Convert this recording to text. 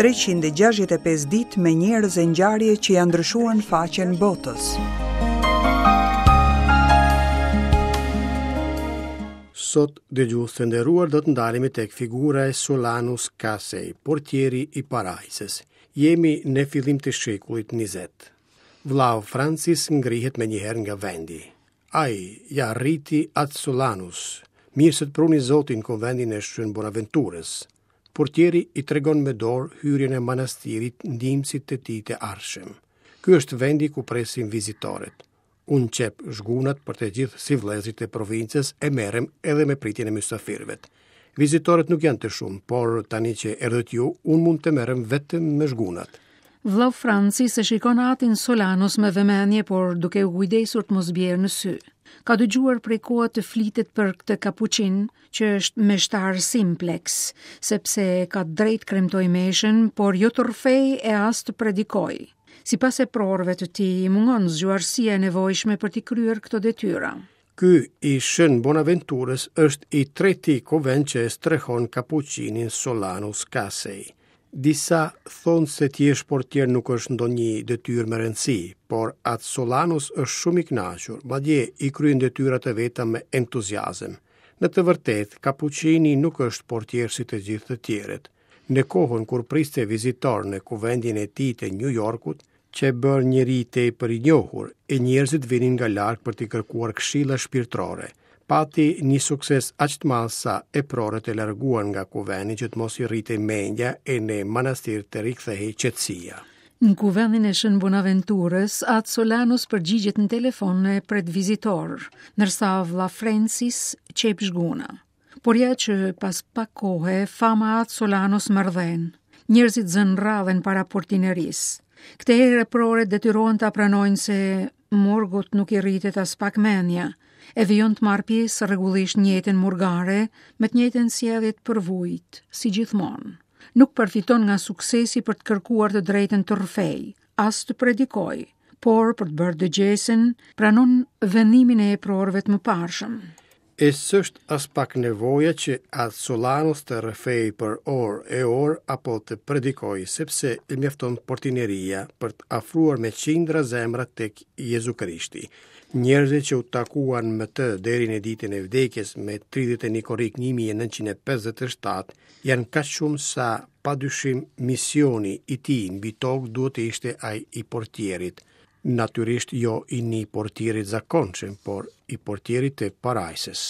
365 ditë me njerëz e ngjarje që ia ndryshuan faqen botës. Sot, dëgjues të nderuar, do të ndalemi tek figura e Solanus Casey, portieri i parajsës. Jemi në fillim të shekullit 20. Vllau Francis ngrihet menjëherë nga vendi. Ai ia arriti At Solanus, mirë se të pruni Zoti në kuventin e Shën Bonaventurës. Portieri i tregon me dorë hyrjen e manastirit ndihmësit të tij të ardhshëm. Ky është vendi ku presim vizitorët. Unë qep zhgunat për të gjithë sivëllezërit e provincës e merrem edhe me pritjen e mysafirëve. Vizitorët nuk janë të shumë, por tani që erdhët ju, unë mund të merrem vetëm me zhgunat. Vllau Francis e shikon atin Solanus me vëmendje, por duke u kujdesur të mos bjerë në sy. Ka dëgjuar prej kohe të flitet për këtë kapuçin, që është meshtar simplex, sepse ka të drejtë kremtojë meshën, por jo të rrëfejë e as të predikojë. Sipas eprorëve të tij, i mungon zgjuarsia e nevojshme për t'i kryer këto detyra. Ky i Shën Bonaventurës është i treti kuvent që e strehon kapuçinin Solanus Casey. Disa thonë se të jesh portier nuk është ndonjë detyrë me rëndësi, por At Solanus është shumë i kënaqur, madje i kryen detyrat e veta me entuziazëm. Në të vërtetë, kapuçini nuk është portier si të gjithë të tjerët. Në kohën kur priste vizitorë në kuvendin e tij të Nju Jorkut, qe bërë njeri tepër i njohur, e njerëzit vinin nga larg për t'i kërkuar këshilla shpirtërore. Pati një sukses aq të madh sa eprorët e larguan nga kuvendi që të mos i rritej mendja e në manastir të rikthehej qetësia. Në kuvendin e Shën Bonaventurës, At Solanus përgjigjet në telefon e pret vizitorë, ndërsa vlla Francis qep zhguna. Por ja që pas pak kohe, fama e At Solanus merr dhenë. Njerëzit zënë radhën para portinerisë. Këtë herë eprorët detyrohen ta pranojnë se murgut nuk i rritet aspak mendja, e vijon të marrë pjesë rregullisht në jetën murgare me të njëjtën sjellje të përvujtë, si gjithmonë. Nuk përfiton nga suksesi për të kërkuar të drejtën të rrëfejë, as të predikojë, por për të bërë dëgjesën, pranon vendimin e eprorëve të mëparshëm. E s'është aspak nevoja që At Solanus të rrëfejë për orë e orë apo të predikojë, sepse i mjafton portineria për të afruar me qindra zemra tek Jezu Krishti. Njerëzit që u takuan me të deri në ditën e vdekjes me 31 korrik 1957 janë kaq shumë sa pa dyshim misioni i tij mbi tokë duhet të ishte ai i portierit. Natyrisht jo i një portieri të zakonshëm, por i portierit të parajsës.